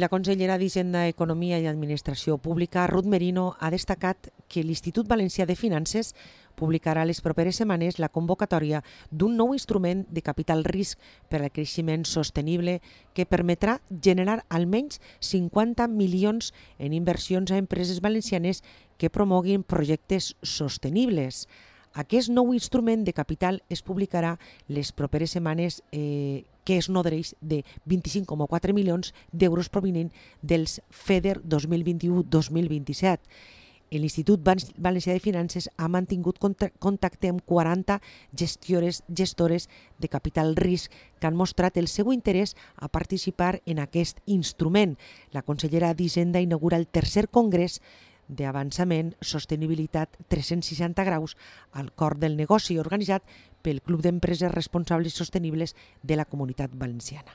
I la consellera d'Hisenda, Economia i Administració Pública, Ruth Merino, ha destacat que l'Institut Valencià de Finances publicarà les properes setmanes la convocatòria d'un nou instrument de capital risc per al creixement sostenible que permetrà generar almenys 50 milions en inversions a empreses valencianes que promoguin projectes sostenibles. Aquest nou instrument de capital es publicarà les properes setmanes que es nodreix de 25,4 milions d'euros provinent dels FEDER 2021-2027. L'Institut Valencià de Finances ha mantingut contacte amb 40 gestores de capital risc que han mostrat el seu interès a participar en aquest instrument. La consellera d'Hisenda inaugura el tercer congrés d'avançament Sostenibilitat 360 graus al cor del negoci, organitzat pel Club d'Empreses Responsables i Sostenibles de la Comunitat Valenciana.